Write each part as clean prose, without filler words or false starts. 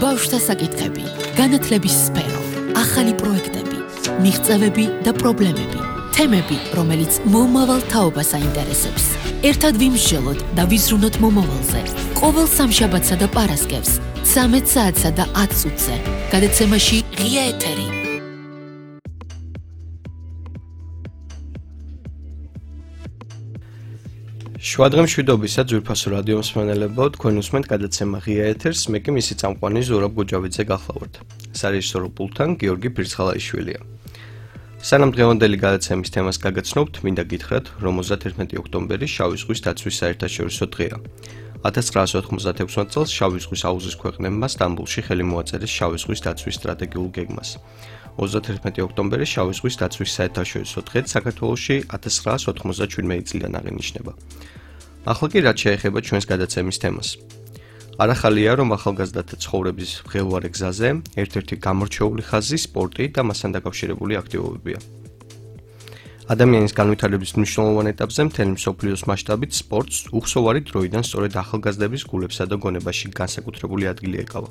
ბავშვთა საკითხები, განათლების სფერო, ახალი პროექტები, მიღწევები და პრობლემები, თემები, რომელიც მომავალ თაობას აინტერესებს. ერთად ვიმსჯელოთ და ვიზრუნოთ მომავალზე. ყოველ სამშაბათსა და პარასკევს, 13 საათსა და 10 წუთზე, გადაცემაში ღია ეთერი. შვადღე მშვიდობისა ძვირფასო რადიო მსმენელებო, თქვენ უსმენთ გადაცემა ღია ეთერს, მე კი მისი წამყვანი ზურაბ გუჯავიძე გახლავართ. სარეჟისორო პულტთან გიორგი ფირცხალაიშვილია. სანამ დღევანდელი გადაცემის თემას გაგაცნობთ, მინდა გითხრათ, რომ 31 ოქტომბერი შავი ზღვის დაცვის საერთაშორისო დღეა. 1996 წელს შავი ზღვის აუზის ქვეყნებმა სტამბოლში ხელი მოაწერეს შავი ზღვის დაცვის სტრატეგიულ გეგმას. 31 ოქტომბერი შავი ზღვის დაცვის საერთაშორისო დღედ საქართველოში 1997 წლიდან აღინიშნება. ახლა კი რაც შეეხება ჩვენს გადაცემის თემას. არახალია, რომ ახალგაზრდათა ცხოვრების მღელვარე გზაზე ერთ-ერთი გამორჩეული ხაზი სპორტი და მასთან დაკავშირებული აქტივობებია. ადამიანის განვითარების მნიშვნელოვან ეტაპზე მთელი მსოფლიოს მასშტაბით სპორტს უხსოვარი დროიდან სწორედ ახალგაზრდების გულებსა და გონებაში განსაკუთრებული ადგილი ეკავა.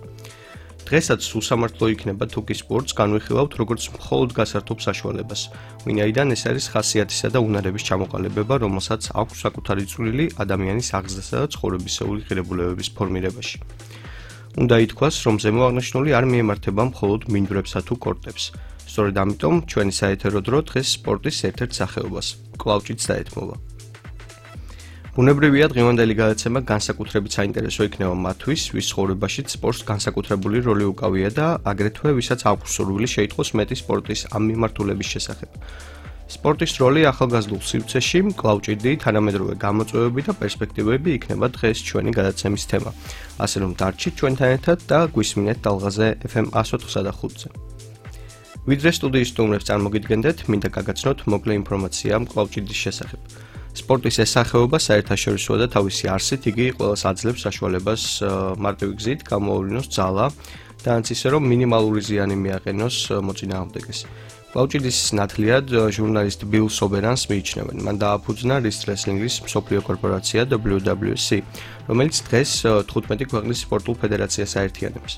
დღესაც უსამართლო იქნება თუ კი სპორტს განვიხილავთ როგორც მხოლოდ გასართობ საშუალებას, ვინაიდან ეს არის ხასიათისა და უნარების ჩამოყალიბება, რომელსაც აქვს საკუთარი წვლილი ადამიანის აღზრდასა და ცხოვრებისეული ღირებულებების ფორმირებაში. უნდა ითქვას, რომ ზემო აღნიშნული არ მიემართება მხოლოდ მინდვრებსა თუ კორტებს. სწორედ ამიტომ ჩვენი საეთერო დრო დღეს სპორტის ერთ-ერთ სახეობას, კლავჭით დაეთმობა. ბუნებრივია დღევანდელი გადაცემა განსაკუთრებით საინტერესო იქნება მათთვის, ვის ცხოვრებაშიც სპორტს განსაკუთრებული როლი უკავია და აგრეთვე ვისაც აქვს სურვილი შეიტყოს მეტი სპორტის ამ მიმართულების შესახებ. სპორტის როლი ახალგაზრდულ სივრცეში, კლავჭიდი, თანამედროვე გამოწვევები და პერსპექტივები იქნება დღეს ჩვენი გადაცემის თემა. ასე რომ დარჩით ჩვენთან ერთად და გვისმინეთ ტალღაზე FM 104.5-ზე. ვიდრე სტუდიის სტუმრებს წარმოგიდგენდეთ, მინდა გაგაცნოთ მოკლე ინფორმაცია კლავჭიდის შესახებ. სპორტის ეს სახეობა საერთაშორისოა და თავისი არსით იგი ყველას აძლევს საშუალებას მარტივი გზით გამოავლინოს ძალა და ანც ისე რომ მინიმალური ზიანი მიაყენოს მოწინააღმდეგეს. კლავჭიდის ნათლიად ჟურნალისტ ბილ სობერანს მიიჩნევენ. მან დააფუძნა რესლინგის მსოფლიო კორპორაცია WWC, რომელიც დღეს 15 ქვეყნის სპორტულ ფედერაციას აერთიანებს.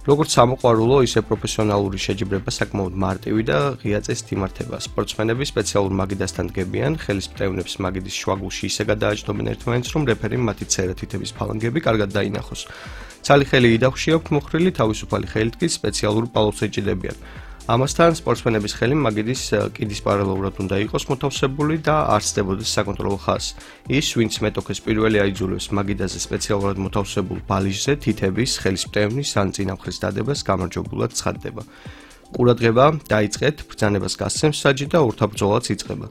როგორც სამოყვარულო, ისე პროფესიონალური შეჯიბრება საკმაოდ მარტივი და ღია წესით იმართება. სპორტსმენები სპეციალურ მაგიდასთან დგებიან, ხელის მტევნებს მაგიდის შუაგულში ისე გადააჯდობენ ერთმანეთს, რომ რეფერიმ მათი წერეთითების ფალანგები კარგად დაინახოს. ცალი ხელი იდახში აქვთ მოხრილი, თავისუფალი ხელით კი სპეციალური პალობს ეჭიდებიან. ამასთან სპორტსმენების ხელი მაგიდის კიდის პარალელურად უნდა იყოს მოთავსებული და არ სდებოდეს საკონტროლო ხაზს. ის, ვინც მეტოქეს პირველი აიძულებს მაგიდაზე სპეციალურად მოთავსებულ ბალიჟზე თითების, ხელის მტევნის ან წინამხრის დადებას გამარჯვებულად ცხადდება. ყურადღება დაიწყეთ, ბრძანებას გასცემს საჯი და ურთაბრძოლაც იწყება.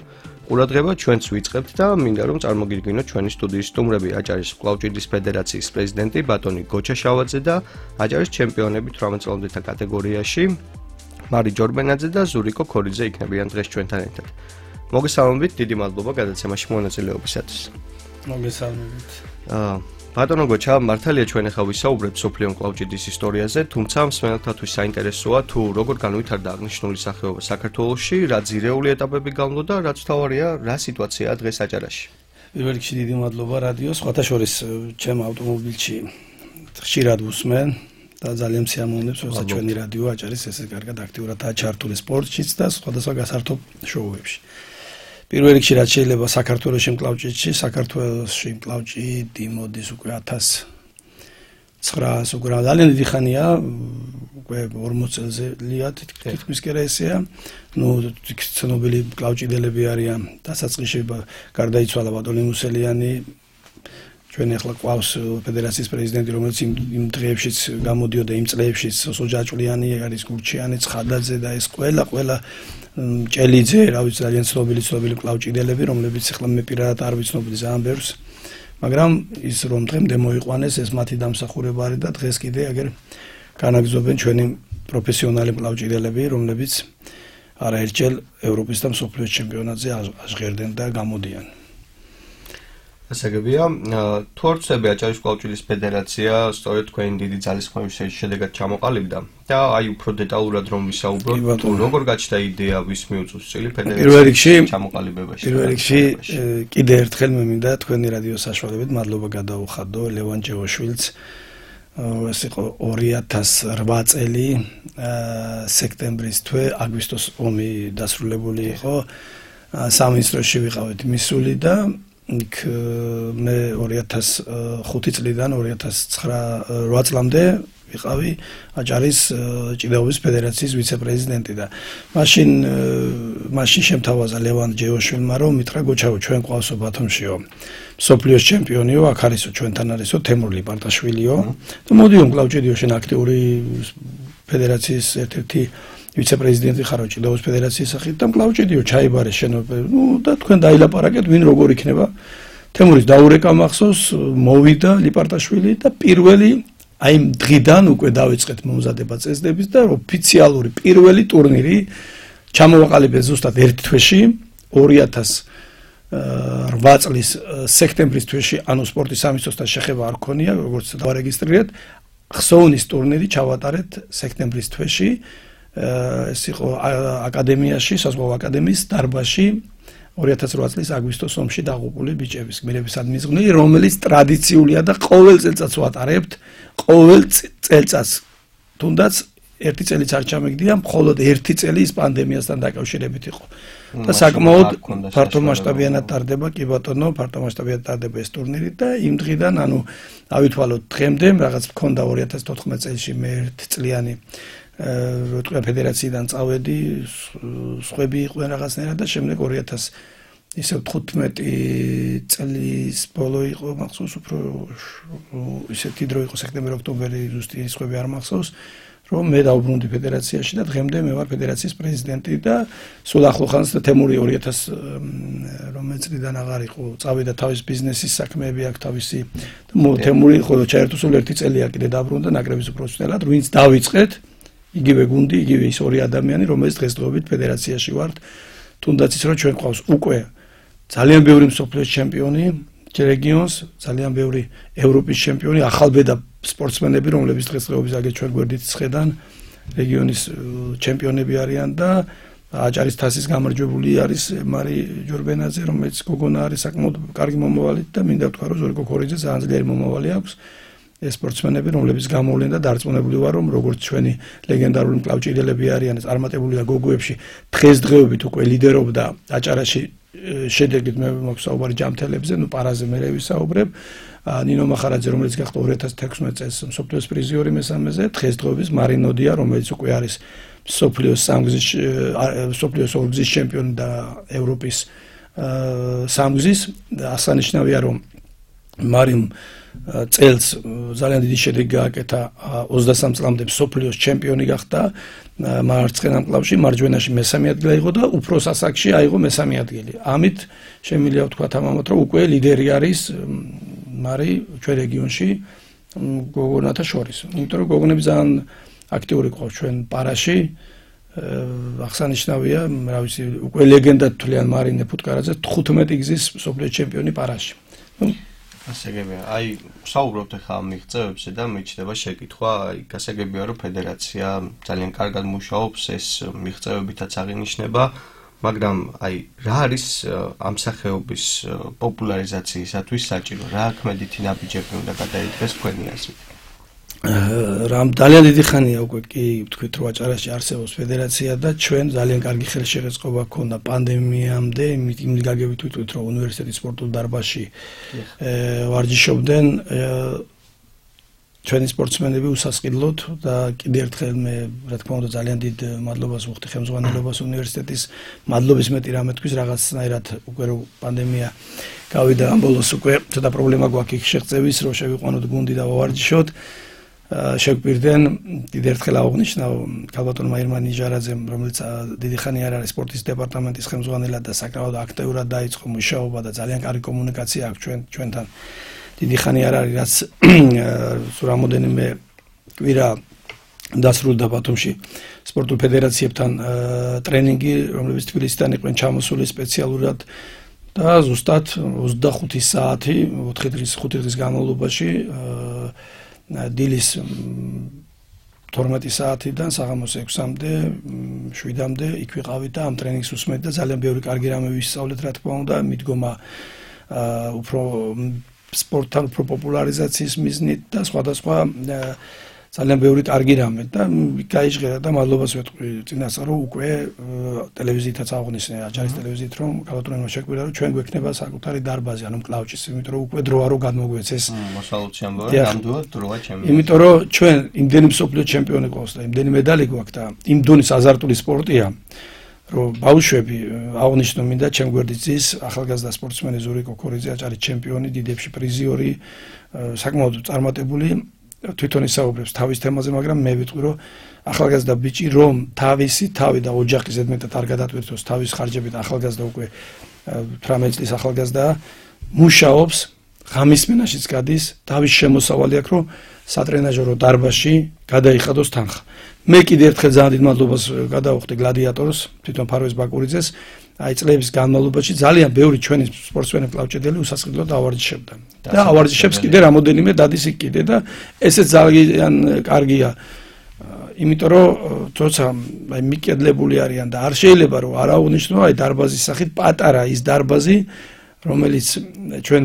ყურადღება ჩვენც ვიწყებთ და მინდა რომ წარმოგიდგინოთ ჩვენი სტუდიის სტუმრები, აჭარის კლავჭიდის ფედერაციის პრეზიდენტი ბატონი გოჩა შავაძე და აჭარის ჩემპიონები 18 წლამდეთა კატეგორიაში მარი ჯორბენაძე და ზურიკო ქორიძე იქნებიან დღეს ჩვენთან ერთად. მოგესალმებით, დიდი მადლობა გადაცემაში მონაწილეობისათვის. მოგესალმებით. ბატონო გოჩა, მართალია ჩვენ ახლა ვისაუბრებთ სოფლიო კლავჭიდის ისტორიაზე, თუმცა მსმენელთათვის საინტერესოა თუ როგორ განვითარდა აღნიშნული სახეობა საქართველოში, რა ძირეული ეტაპები გამო და რაც თავარია, რა სიტუაციაა დღეს აჭარაში. პირველ რიგში დიდი მადლობა რადიოს, სხვათა შორის ჩემ ავტომობილში ხშირად ვუსმენ. და ძალიან სიამოვნებს, როცა ჩვენი რადიო აჭარის ესე კარგად აქტიურადაა ჩართული სპორტშიც და სხვადასხვა გასართობ შოუებში. პირველ რიგში რაც შეიძლება საქართველოში კლავჭიდში, საქართველოში კლავჭიდი მოდის უკვე 1900 უკვე ძალიან დიდი ხანია, უკვე 40 წელზეა თითქმის კი რა ესეა. ნუ ცნობილი კლავჭიდელები არიან დასაწყისში გარდაიცვალა ბატონი მუსელიანი. ჩვენ ახლა ყავს ფედერაციის პრეზიდენტი, რომელიც იმ დღეებშიც გამოდიოდა, იმ წლებში სოჯაჭვლიანი არის, გურჩიანი, ცხადაძე და ეს ყველა ჭელიძე, რა ვიცი, ძალიან ცნობილი კლავჭიდელები, რომლებიც ახლა მე პირადად არ ვიცნობდი ძალიან ბევრს. მაგრამ ის რომ დღემდე მოიყვანეს, ეს მათი დამსახურება არის და დღეს კიდე აგერ განაგრძობენ ჩვენი პროფესიონალი კლავჭიდელები, რომლებიც არაერთჯერ ევროპის და მსოფლიოს ჩემპიონატზე აღჟღერდნენ და გამოდიან. ასაგებია, თუ არ ვწდები აჭარის კლავჭიდის ფედერაცია სწორედ თქვენი დიდი ძალისხმევის შედეგად ჩამოყალიბდა და აი უფრო დეტალურად რომ ვისაუბროთ, თუ როგორ გაჩნდა იდეა, ვის მიუწვევს წილი ფედერაციის ჩამოყალიბებაში. პირველ რიგში კიდე ერთხელ მე მინდა თქვენი რადიოს საშუალებით მადლობა გადაუხადო ლევან ჯევოშვილს, ეს იყო 2008 წელი სექტემბრის თვე, აგვისტოს ომი დასრულებული იყო. სამინისტროში ვიყავით მისული და იქ მე 2005 წლიდან 2008 წლამდე ვიყავი აჭარის ჭიდაობის ფედერაციის ვიცე-პრეზიდენტი და მაშინ შემთავაზა ლევან ჯეოშვილმა რომ მითხრა გოჩაო ჩვენ ყავსო ბათუმშიო მსოფლიოს ჩემპიონიო აქ არისო ჩვენთან არისო თემურ ლიპარტაშვილიო და მოდიო კლავჭედიო შენ აქტიური ფედერაციის ერთ-ერთი ვიცე-პრეზიდენტი ხარო ჭიდაობის ფედერაციის სახით და კლავჭედიო ჩაიბარე შენ და თქვენ დაილაპარაკეთ ვინ როგორ იქნება თემურის დაურეკა მახსოვს მოვიდა ლიპარტაშვილი და პირველი აი დღიდან უკვე დავიწყეთ მომზადება წესდების და ოფიციალური პირველი ტურნირი ჩამოვაყალიბეთ ზუსტად ერთ თვეში 2008 წლის სექტემბრის თვეში ანუ სპორტის სამინისტროსთან შეხება არ ქონია როგორც დავარეგისტრირეთ ხსოვნის ტურნირი ჩავატარეთ სექტემბრის თვეში ეს იყო აკადემიაში საზღვაო აკადემიის დარბაზში 2008 წლის აგვისტოს ომში დაღუპული ბიჭების გმირების ადმიზღვნილი რომელიც ტრადიციულია და ყოველ წელწადს ვატარებთ ყოველ წელწადს თუნდაც ერთი წელიც არ ჩამეგდია მხოლოდ ერთი წელი ის პანდემიასთან დაკავშირებით იყო და საკმაოდ ფართო მასშტაბიანად ტარდება კი ბატონო ფართო მასშტაბიანად ტარდება ეს ტურნირი და იმ დღიდან ანუ ავითვალოთ დღემდე რაღაც მქონდა 2014 წელში მე ერთ წლიანი როტყა ფედერაციიდან წავედი სხვები იყვნენ რაღაცნაირად და შემდეგ 2015 წლის ბოლო იყო მახსოვს უფრო ისეთი დრო იყო სექტემბერ-ოქტომბერი ზუსტი სხვები არ მახსოვს რომ მე დავბრუნდი ფედერაციაში და დღემდე მე ვარ ფედერაციის პრეზიდენტი და სულ ახლახანს და თემური 2000 რომ წლიდან აღარ იყო წავიდა თავის ბიზნესის საქმეები აქვს თავისი თემური ხოლო ჩაერთო სულ ერთი წელია კიდე დაბრუნდა ნაკრების უპროფესიონალად ვინც დავიწყეთ იგივე გუნდი, იგივე ის ორი ადამიანი, რომელიც დღესდღეობით ფედერაციაში ვართ, თუნდაც ის რომ ჩვენ ყავს უკვე ძალიან ბევრი მსოფლიოს ჩემპიონი რეგიონს, ძალიან ბევრი ევროპის ჩემპიონი, ახალბედა სპორტსმენები, რომლებიც დღესდღეობით აგერ ჩვენ გვერდით ხედან, რეგიონის ჩემპიონები არიან და აჭარის თასის გამარჯვებული არის მარი ჯორბენაძე, რომელიც გოგონა არის საკმაოდ კარგი მომავალი და მინდა ვთქვა რომ ზორიკო ქორიძე ძალიან ძლიერი მომავალი აქვს. ეს სპორტსმენები, რომლებიც გამოვლენ და დარწმუნებული ვარ, რომ როგორც ჩვენი ლეგენდარული მკლავჭიდელები არიან, წარმატებულია გოგოებში, დღესდღეობით უკვე ლიდერობდა აჭარაში შედეგით მე მაქვს საუბარი ჯამთელებზე, ნუ პარაზე მე ვისაუბრებ. ნინო მახარაძე, რომელიც გახდა 2016 წელს მსოფლიოს პრიზიორი მესამეზე, დღესდღეობით მარინოდია, რომელიც უკვე არის მსოფლიოს ორგზის ჩემპიონი და ევროპის სამგზის. აღსანიშნავია, რომ მარიმ წელს ძალიან დიდი შედეგი გააკეთა 23 წლამდე მსოფლიოს ჩემპიონი გახდა მარცხენა მკლავში მარჯვენაში მესამე ადგილი აიღო და უფროს ასაკში აიღო მესამე ადგილი. ამით შემიძლია ვთქვა თამამად რომ უკვე ლიდერი არის მარი ჩვენ რეგიონში გოგონათა შორის. იმიტომ რომ გოგონები ძალიან აქტიური ყავს ჩვენ პარაში აღსანიშნავია, რა ვიცი, უკვე ლეგენდად თვლიან მარინე ფუტკარაძე 15 გზის მსოფლიოს ჩემპიონი პარაში. გასაგებია, აი, საუბრობთ ახლა ამ მიღწევებზე და მიჩნდება შეკითხვა, აი, გასაგებია რომ ფედერაცია ძალიან კარგად მუშაობს, ეს მიღწევებითაც აღინიშნება, მაგრამ აი, რა არის ამ სახეობის პოპულარიზაციისათვის საჭირო? რა ქმედითი ნაბიჯები უნდა გადაიდგეს თქვენი აზრით? ძალიან დიდი ხანია უკვე კი ვთქვით რომ აჭარაში არსებობს ფედერაცია და ჩვენ ძალიან კარგი ხელშეწყობა ქონდა პანდემიამდე იმით გაგებით ვიტყვით რომ უნივერსიტეტის სპორტულ დარბაზში ვარჯიშობდნენ ჩვენი სპორტსმენები უსასყიდლოდ და კიდევ ერთხელ მე რა თქმა უნდა ძალიან დიდ მადლობას ვუხდი ხელმძღვანელობას უნივერსიტეტის მადლობის მეტი რამე თქვის რაღაცნაირად უკვე რომ პანდემია გავიდა ამ ბოლოს უკვე ცოტა პრობლემა გვაქვს იქ შეღწევის რომ შევიყვანოთ გუნდი და ვავარჯიშოთ შეგვპირდნენ კიდევ ერთხელ აღნიშნავ ქალბატონმა ირმან ნიჟარაძემ რომელიც დიდი ხანი არ არის სპორტის დეპარტამენტის ხელმძღვანელად და საკმაოდ აქტიურად დაიწყო მუშაობა და ძალიან კარგი კომუნიკაცია აქვს ჩვენთან დიდი ხანი არ არის რაც რამოდენიმე კვირა დასრულდა ბათუმში სპორტულ ფედერაციებთან ტრენინგი რომლებიც თბილისიდან იყვნენ ჩამოსული სპეციალურად და ზუსტად 25 საათი 5 დღის განმავლობაში დილის 12 საათიდან საღამოს 6-მდე 7-მდე იქ ვიყავით და ამ ტრენინგს ვუსმენთ და ძალიან ბევრი კარგი რამე ვისწავლეთ რა თქმა უნდა მიდგომა უფრო სპორტთან უფრო პოპულარიზაციის მიზნით და სხვადასხვა ძალიან ბევრი კარგი რამე და გაიჟღერა და მადლობას ვეთქვი წინასწარ რომ უკვე ტელევიზიითაც აღნიშნე აჯარის ტელევიზიით რომ კალათურენმა შეგვირა რომ ჩვენ გვექნება საკუთარი დარბაზი ანუ კლავჭის იმიტომ რომ უკვე დროა რომ გადმოგვეცეს მოსალოდში ამბობენ ნამდვილად დროა ჩემი იმიტომ რომ ჩვენ იმდენი მსოფლიო ჩემპიონი გვყავს და იმდენი медали გვაქვს და იმ დონის აზარტული სპორტია რომ ბავშვები აღნიშნო მინდა ჩემ გვერდიცის ახალგაზრდა სპორტსმენი ზურიკო ქორიძე აჭარის ჩემპიონი დიდებში პრიზიორი საკმაოდ წარმატებული თვითონ ისაუბრებს თავის თემაზე მაგრამ მე ვიტყვი რომ ახალგაზრდა ბიჭი რომ თავისი თავი და ოჯახი ზედმეტად არ გადატვირთოს თავის ხარჯებით ახალგაზრდა უკვე 18 წლის ახალგაზრდა მუშაობს ღამის მენაშიც გადის თავის შემოსავალი აქვს რომ სატრენაჟერო დარბაზში გადაიხადოს თანხა მე კიდე ერთხელ ძალიან დიდ მადლობას გადავუხდი გლადიატორს თვითონ ფარვეს ბაკურიძეს აი წლების განმავლობაში ძალიან ბევრი ჩვენი სპორტსმენი კლავჭედელი უსასყიდლოდ ავარჯიშებდა და ავარჯიშებს კიდე რამოდენიმე დადის იქ კიდე და ესეც ძალიან კარგია იმიტომ რომ თორსა აი მიკედლებული არიან და არ შეიძლება რომ არ აღვნიშნო აი დარბაზის სახით პატარა ის დარბაზი რომელიც ჩვენ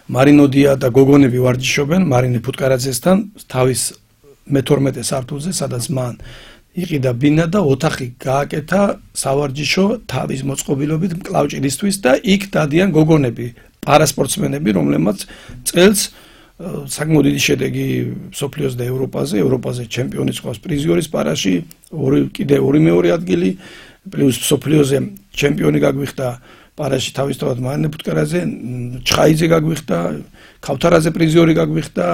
მარინოდია და გოგონები ვარჯიშობენ მარინე ფუტკარაძესთან თავის მე-12 სართულზე სადაც მან იყიდა ბინა და ოთახი გააკეთა სავარჯიშო თავის მოწყობილობით მკლავჭიდისთვის და იქ დადიან გოგონები პარასპორტსმენები რომლებმაც წელს საკმაოდ დიდი შედეგი მსოფლიოს და ევროპაზე ჩემპიონის ყავს პრიზიორის პარაში კიდე ორი მეორე ადგილი პლუს მსოფლიოზე ჩემპიონი გაგვიხდა პარაში თავისთავად მარინე ფუტკარაძე ჩხაიძე გაგვიხდა ქავთარაძე პრიზიორი გაგვიხდა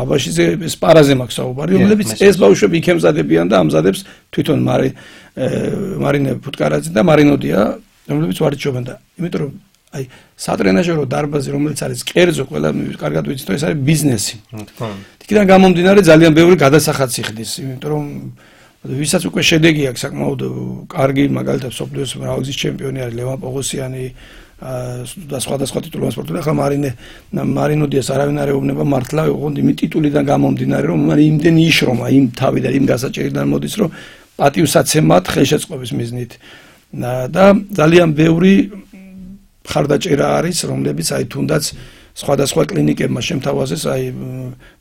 აბაშიძე სპარაზე მაქვს საუბარი რომლებიც ეს ბავშვები იქ ემზადებიან და ამზადებს თვითონ მარინე ფუტკარაძე და მარინოდია რომლებიც ვარჯიშობენ და იმიტომ რომ აი სატრენაჟერო დარბაზი რომელიც არის კერძო ყველა კარგად ვიცით რომ ეს არის ბიზნესი იქიდან გამომდინარე ძალიან ბევრი გადასახადს იხდის იმიტომ რომ ვისაც უკვე შედეგი აქვს საკმაოდ კარგი მაგალითად სოფლიოს მრავალგზის ჩემპიონი არის ლევან პოღოსიანი და სხვადასხვა ტიტულოვანი სპორტსმენი ახლა მარინოდიას არავინ არ ეუბნება მართლა ოღონდ იმ ტიტულიდან გამომდინარე რომ იმდენი იშრომა იმ თავი და იმ გასაჭირიდან მოდის რომ პატივსაცემად ხელშეწყობის მიზნით და ძალიან ბევრი ხარდაჭერა არის რომლებიც აი თუნდაც სხვადასხვა კლინიკებმა შემთავაზეს აი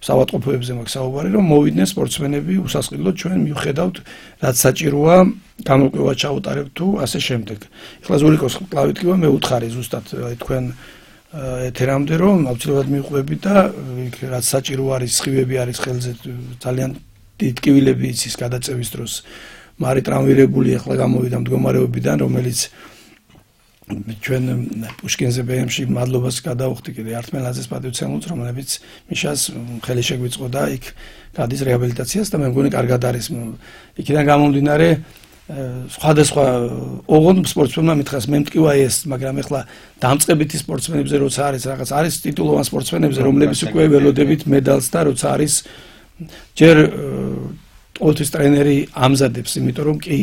საავადმყოფოებზე მაქვს საუბარი რომ მოვიდნენ სპორტსმენები უსასყიდლოდ ჩვენ მივხედავთ რაც საჭიროა გამოკვლევა ჩაუტარებთ თუ ასე შემდეგ. ეხლა ზურიკოს კლავით კი მე უთხარი ზუსტად აი თქვენ ეთერამდე რომ აუცილებლად მივყვები და რაც საჭირო არის სხივები არის ხელზე ძალიან დიდ ტკივილები იცის გადაწევის დროს მარი ტრამვირებული ეხლა გამოვიდა მდგომარეობიდან რომელიც ჩვენ პუშკინზე ბემში მადლობას გადავუხდი კიდე არტმელაძეს პატივცემულს რომლებიც მიშას ხელი შეგვიწყო და იქ გადის რეაბილიტაციას და მე მგონი კარგად არის იქიდან გამომდინარე სხვადასხვა ოღონდ სპორტსმენმა მითხას მე მტკივა ეს მაგრამ ეხლა დამწყებითი სპორტსმენებზე როცა არის რაღაც არის ტიტულოვან სპორტსმენებზე რომლებიც უკვე ველოდებით მედალს და როცა არის ჯერ ოთის ტრენერი ამზადებს იმიტომ რომ კი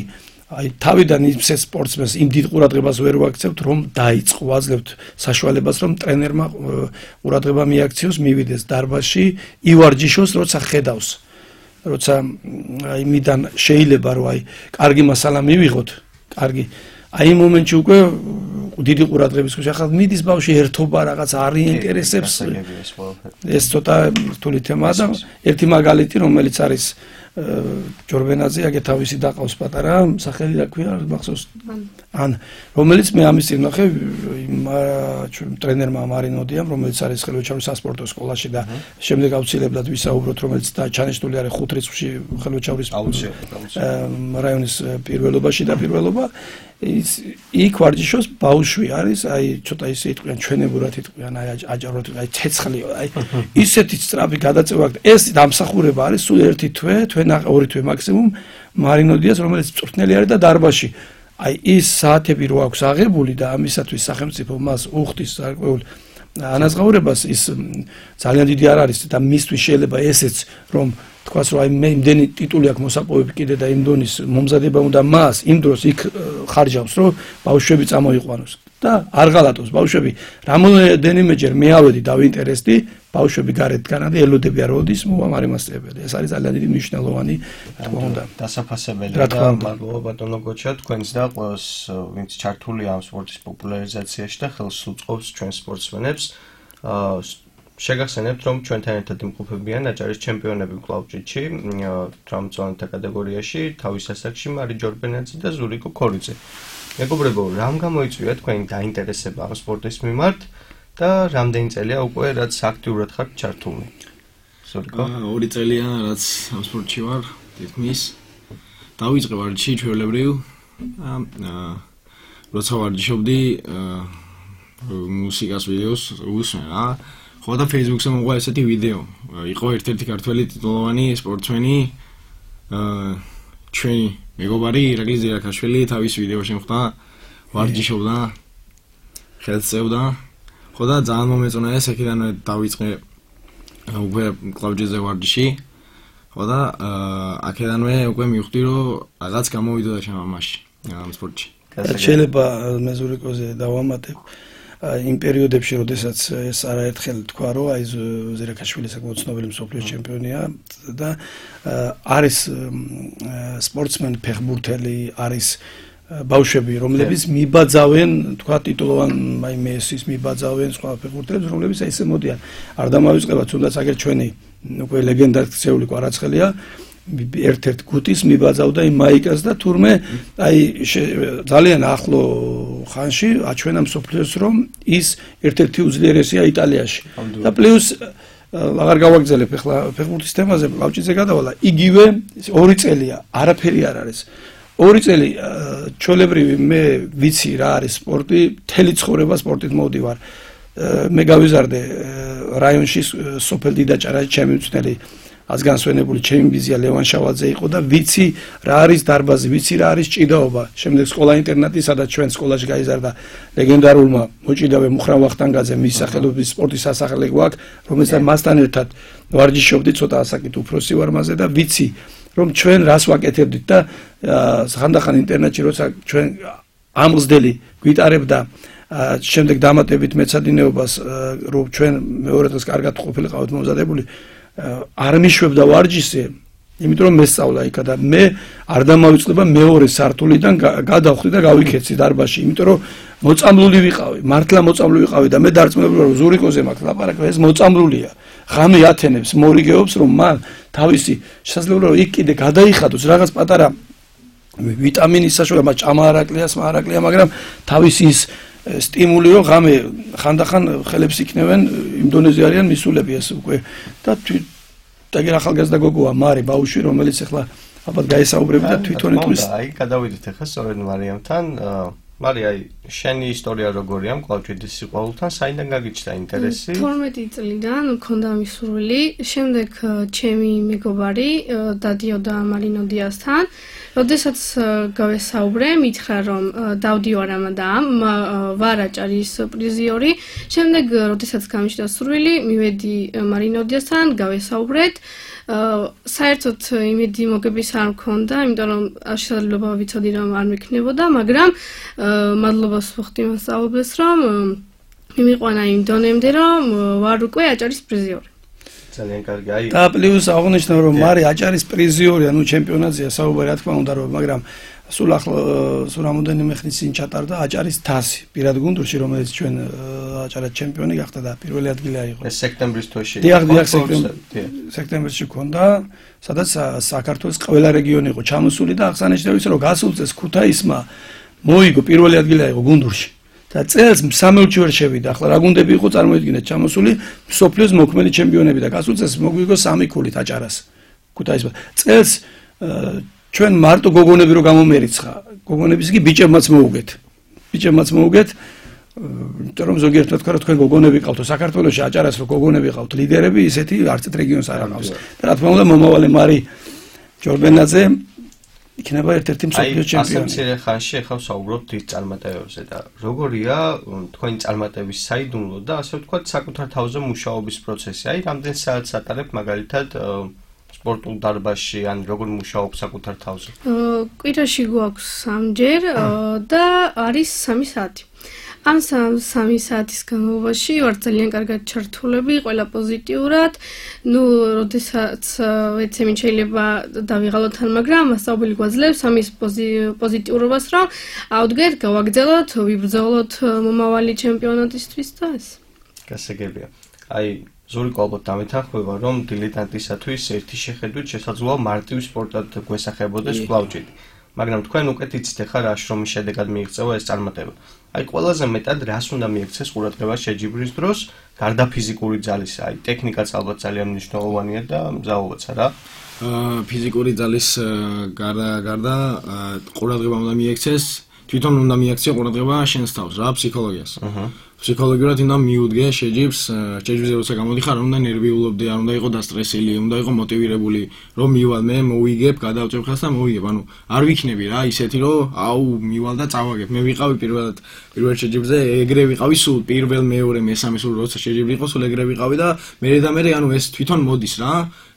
აი თავიდან ის სპორტსმენს იმ დიდ ყურადღებას ვერ ვაქცევთ რომ დაიწყო აძლევთ საშუალებას რომ ტრენერმა ყურადღება მიაქციოს მივიდეს დარბაზში ივარჯიშოს როცა ხედავს როცა აი მიდან შეიძლება რომ აი კარგი მასალა მივიღოთ კარგი აი იმ მომენტში უკვე დიდი ყურადღების ქვეშ ახლა მიდის ბავშვი ერთობა რაღაც არ ინტერესებს ეს ცოტა რთული თემაა და ერთი მაგალითი რომელიც არის ჯორბენაძე აგე თავისი დაყავს პატარა სახელი რა ქვია მახსოვს ან რომელიც მე ამის წინ ნახე ტრენერმა მარინოდიამ რომელიც არის ხელვაჩაურის სასპორტო სკოლაში და შემდეგ აუცილებლად ვისაუბროთ რომელიც და ჩანიშნული არის 5 რიცხვში ხელვაჩაურის რაიონის პირველობაში და პირველობა იქ ვარჯიშობს ბავშვი არის აი ცოტა ისე იტყვიან ჩვენებურად იტყვიან აი აჭაროდ აი ცეცხლი აი ისეთი სწრაფი გადაწევა ეს დამსახურება არის სულ ერთი თვე ორი თვე მაქსიმუმ მარინოდიას რომელიც წვრთნელი არის და დარბაზში აი ის საათები რო აქვს აღებული და ამისათვის სახელმწიფო მას უხდის გარკვეულ ანაზღაურებას ის ძალიან დიდი არ არის და მისთვის შეიძლება ესეც რომ თქვას რომ აი მე იმდენი ტიტული აქვს მოსაპოვები კიდე და იმ დონის მომზადება უნდა მას იმ დროს იქ ხარჯავს რომ ბავშვები წამოიყვანოს და არ ღალატოს ბავშვები რამოდენიმეჯერ მე ავედი დავინტერესდი ბავშვები გარეთ განადი ელოდები არ როდის მოამარი მასწავლებელი ეს არის ძალიან დიდი მნიშვნელოვანი თქმა უნდა დასაფასებელია და მადლობა ბატონო გოჩა თქვენს და ყველას ვინც ჩართულია ამ სპორტის პოპულარიზაციაში და ხელს უწყობს ჩვენ სპორტსმენებს შეგახსენებთ რომ ჩვენთან ერთად იმყოფებიან აჭარის ჩემპიონები კლავჭიდში დრამწვანთა კატეგორიაში თავის ასაკში მარი ჯორბენაძე და ზურიკო ქორიძე მეგობრებო რამ გამოიწვია თქვენი დაინტერესება ამ სპორტის მიმართ და რამდენი წელია უკვე რაც აქტიურად ხართ ჩართული ზურიკო 2 წელია რაც ამ სპორტში ვარ თითქმის დავიწყე ვარჯიში ჩვეულებრივ როცა ვარჯიშობდი მუსიკას ვიდეოს უსმენ რა ხო და Facebook-ზე მოყვა ესეთი ვიდეო იყო ერთ-ერთი ქართველი ტიტულოვანი სპორტსმენი ჩვენი მეგობარი ირაკლი ზირაქაშვილი თავის ვიდეოში მოხდა ვარჯიშობდა ხელს წევდა ხო და ძალიან მომეწონა ეს აქედანვე დავიწყე უკვე კლავჯეზე ვარჯიში ხო და აქედანვე უკვე მივხვდი რომ რაღაც გამოვიდოდა შემამაში ამ სპორტში შეიძლება მე ზურიკოზე დავამატებ იმ პერიოდებში, როდესაც ეს არაერთხელ თქვა, რომ აი ზირაქაშვილი საკმაოდ ცნობილი მსოფლიო ჩემპიონია და არის სპორტსმენი ფეხბურთელი, არის ბავშვები, რომლებიც მიბაძავენ, თქვა ტიტულოვან აი მესის მიბაძავენ სხვა ფეხბურთელებს, რომლებიც აი ესე მოდიან. არ დამავიწყება თუნდაც აგერ ჩვენი უკვე ლეგენდარული კვარაცხელია ერთ-ერთ გუტის მიბაძავდა იმ მაიკას და თურმე აი ძალიან ახლო ხანში აჩვენა მსოფლიოს რომ ის ერთ-ერთი უძლიერესია იტალიაში და პლუს აღარ გავაგრძელებ ახლა ფეხბურთის თემაზე ლავჭიძე გადავალა იგივე 2 წელია არაფერი არ არის 2 წელი ჩვეულებრივი მე ვიცი რა არის სპორტი მთელი ცხოვრება სპორტით მოვდივარ მე გავიზარდე რაიონში სოფელ დიდაჭარაში ჩემი მწვრთნელი ազგანსვენებული ჩემი ბიზია ლევან შავაძე იყო და ვიცი რა არის დარბაზი, ვიცი რა არის ჭიდაობა. შემდეგ სკოლა ინტერნატი, სადაც ჩვენ სკოლაში გაიზარდა ლეგენდარულმა მოჭიდავე მუხრან ვახტანგაძე, მის სახელობის სპორტის სასახლე გვაქვს, რომელსაც მასთან ერთად ვარჯიშობდი, ცოტა ასაკით უფროსი ვარ მასზე და ვიცი, რომ ჩვენ რას ვაკეთებდით და ხანდახან ინტერნეტში როცა ჩვენ ამღსდელი გვიტარებდა შემდეგ დამატებით მეცადინეობას, რომ ჩვენ მეორე დღეს კარგად ყოფილიყავით მომზადებული არ მიშვებდა ვარჯიშზე, იმიტომ რომ მესწავლა იქა და მე არ დამავიწყდება მეორე სართულიდან გადავხვდი და გავიქეცი დარბაზში, იმიტომ რომ მოწამლული ვიყავი, მართლა მოწამლული ვიყავი და მე დარწმუნებული ვარ, ზურიკოზე მაქვს ლაპარაკი, ეს მოწამლულია. ღამე ათენებს, მორიგეობს, რომ მან თავისი შესაძლებლობა რომ იქ კიდე გადაიხადოს რაღაც პატარა ვიტამინის საშუალება, ჭამა არაკლია, სმა არაკლია, მაგრამ თავისი ის სტიმული რომ ღამე ხანდახან ხელებს იქნევენ იმ დონეზე არიან მისულები ეს უკვე და დაგერ ახალგაზრდა გოგოა მარი ბაუშვი რომელიც ახლა ალბათ გაესაუბრები და თვითონ იტყვის აი გადავიდეთ ახლა სწორედ მარიამთან მარი აი შენი ისტორია როგორია მკლავჭიდის სიყვარულთან საიდან გაგიჩნდა ინტერესი 12 წლიდან მქონდა მისურვილი შემდეგ ჩემი მეგობარი დადიოდა მარინოდიასთან როდესაც გავესაუბრე მითხრა რომ დავდივარ ამადამ ვარ აჭარის პრიზიორი შემდეგ როდესაც გამიჩნდა სურვილი მივედი მარინოდიასთან გავესაუბრეთ საერთოდ იმედი მოგების არ მქონდა იმიტომ რომ შესაძლებლობა ვიცოდი რომ არ მექნებოდა მაგრამ მადლობას ვუხდი მასწავლებელს რომ მიმიყვანა იმ დონემდე რომ ვარ უკვე აჭარის პრიზიორი ძალიან კარგი აი და პლუს აღნიშნა რომ მარი აჭარის პრიზიორი ანუ ჩემპიონატზეა საუბარი რა თქმა უნდა რომ მაგრამ სულ რამოდენიმე ხნის წინ ჩატარდა აჭარის თასი პირად გუნდურში რომელიც ჩვენ აჭარის ჩემპიონი გახდა და პირველი ადგილი აიღო ეს სექტემბრის თვეში დიახ სექტემბერში ქონდა სადაც საქართველოს ყველა რეგიონი იყო ჩამოსული და აღსანიშნავია ის რომ გასულ წელს ქუთაისმა მოიგო პირველი ადგილი აიღო გუნდურში და წელს სამელჩი ვერ შევიდა ახლა რა გუნდები იყო წარმოიდგინეთ ჩამოსული სოფლიოს მოქმედი ჩემპიონები და გასულ წელს მოგვიგო 3 ქულით აჭარას ქუთაისმა წელს ჩვენ მარტო გოგონები რო გამომერიცხა გოგონების კი ბიჭებმაც მოუგეთ იმიტომ რომ ზოგიერთად თქვა რომ თქვენ გოგონები ყავთ საქართველოში აჭარას რო გოგონები ყავთ ლიდერები ისეთი არცეთ რეგიონს არ აქვს და რა თქმა უნდა მომავალი მარი ჯორბენაძე იქნება ერთ-ერთი მსოფლიო ჩემპიონი. ასე მცირე ხანში ახლა ვსაუბრობთ დიდ წარმატებებზე და როგორია თქვენი წარმატების საიდუმლო და ასე ვთქვათ საკუთარ თავზე მუშაობის პროცესი. აი რამდენ საათს ატარებთ მაგალითად სპორტულ დარბაზში, ან როგორ მუშაობს საკუთარ თავზე? კვირაში გვაქვს 3 ჯერ და არის 3 საათი. ამ 3 საათის განმავლობაში ვარ ძალიან კარგად ჩართულები, ყველა პოზიტიურად. როდესაც ვეცემით შეიძლება დავიღალოთ თან, მაგრამ მასწავლებელი გვაძლევს ამის პოზიტიურობას, რომ ავდგეთ, გავაგრძელოთ, ვიბრძოლოთ მომავალი ჩემპიონატისთვის და ეს. გასაგებია. ზურიკო ალბათ დამეთანხმება, რომ დილეტანტისათვის ერთი შეხედვით შესაძლოა მარტივ სპორტად გვესახებოდეს კლავჭით. მაგრამ თქვენ უკეთ იცით ახლა რა შრომის შედეგად მიიღწევა ეს წარმატება. ყველაზე მეტად რას უნდა მიექცეს ყურადღება შეჯიბრის დროს, გარდა ფიზიკური ძალისა, ტექნიკაც ალბათ ძალიან მნიშვნელოვანია და მზაობაც რა. ფიზიკური ძალის გარდა ყურადღება უნდა მიექცეს, თვითონ უნდა მიექცეს ყურადღება შენს თავს, რა ფსიქოლოგიას. ფსიქოლოგიურად უნდა მიუდგე შეჯიბრზე როცა გამოდიხარ, უნდა ნერვიულობდე, არ უნდა იყო დასტრესილი, უნდა იყო მოტივირებული, რომ მივალ მე მოვიგებ, გადავწევ ხას და მოვიგებ. არ ვიქნები რა ისეთი, რომ მივალ და წავაგებ. მე ვიყავი პირველ შეჯიბრზე, ეგრე ვიყავი სულ პირველ, მეორე, მესამე სულ როცა შეჯიბრი იყო, სულ ეგრე ვიყავი და მე ეს თვითონ მოდის რა.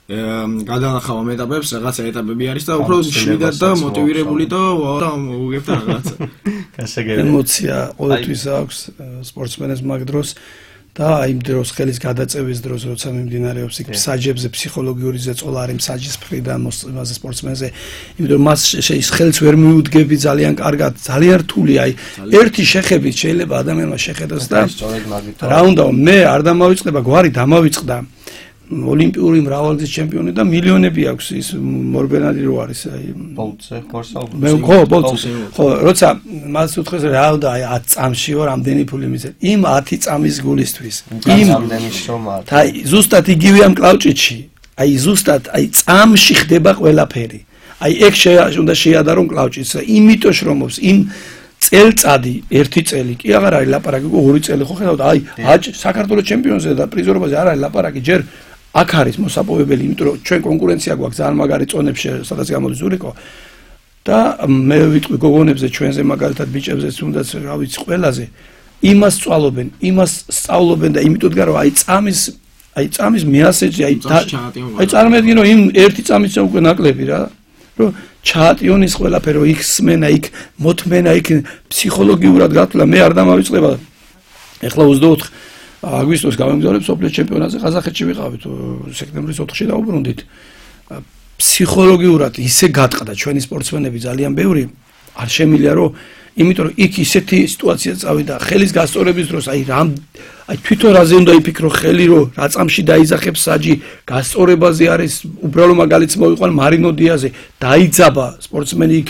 გადანახავ ამ ეტაპებს, რაღაცა ეტაპები არის და უფრო შვიდად და მოტივირებული და მოვიგებ და რაღაცა. ემოცია ყოველთვის აქვს სპორტსმენებს მაგ დროს და იმ დროს ხელის გადაწევის დროს, როცა მიმდინარეობს იქ საჯებზე ფსიქოლოგიური ზეწოლა არის საჯის მხრიდან მოსწონაზე სპორტსმენზე, იმიტომ მას ის ხელს ვერ მიუდგები ძალიან კარგად, ძალიან რთული, ერთი შეხებით შეიძლება ადამიანმა შეხედოს და რა უნდა მე არ დამავიწყდება, გვარი დამავიწყდა. ოლიმპიური მრავალგზის ჩემპიონი და მილიონები აქვს ის მორბენადი რო არის ბოლტზე ხორსალ ხო როცა მას უთხრეს რა უნდა 10 წამშიო რამდენი ფული მისცემ იმ 10 წამის გულისთვის რამდენი შრომა ზუსტად იგივე ამ კლავჭიდში ზუსტად წამში ხდება ყველაფერი ეგ უნდა შეადარო კლავჭიდს იმიტომ შრომობს იმ წელწადი ერთი წელი კი აღარ არის ლაპარაკი 2 წელი ხო ხედავთ საქართველოს ჩემპიონზე და პრიზორობაზე არ არის ლაპარაკი ჯერ აქ არის მოსაპოვებელი, იმიტომ რომ ჩვენ კონკურენცია გვაქვს ძალიან მაგარი წონებში, სადაც გამოდის ზურიკო. და მე ვიტყვი გოგონებზე ჩვენზე მაგალითად ბიჭებზეც თუნდაც რა ვიცი ყველაზე იმას სწავლობენ, იმას სწავლობენ და იმიტომ რომ წამის მეასეჯი წარმოედგინო იმ ერთი წამის უკვე ნაკლები რა, რომ ჩაატიონის ყველაფერი, რომ იქ სმენა, იქ მოთმენა, იქ ფსიქოლოგიურად გათვლა მე არ დამავიწყდება. ეხლა 24 აგვისტოს გამომგზავრებ სოფლიო ჩემპიონატზე ყაზახეთში ვიყავით სექტემბრის 4-ში დაუბრუნდით ფსიქოლოგიურად ისე გატყდა ჩვენი სპორტსმენები ძალიან ბევრი არ შემილია რომ იმიტომ რომ იქ ისეთი სიტუაცია წავიდა ხელის გასწორების დროს თვითონ რაზე უნდა იფიქრო ხელი რომ რა წამში დაიძახებს საჯი გასწორებაზე არის უბრალო მაგალითს მოვიყვან მარინო დიაზე დაიძაბა სპორტსმენი იქ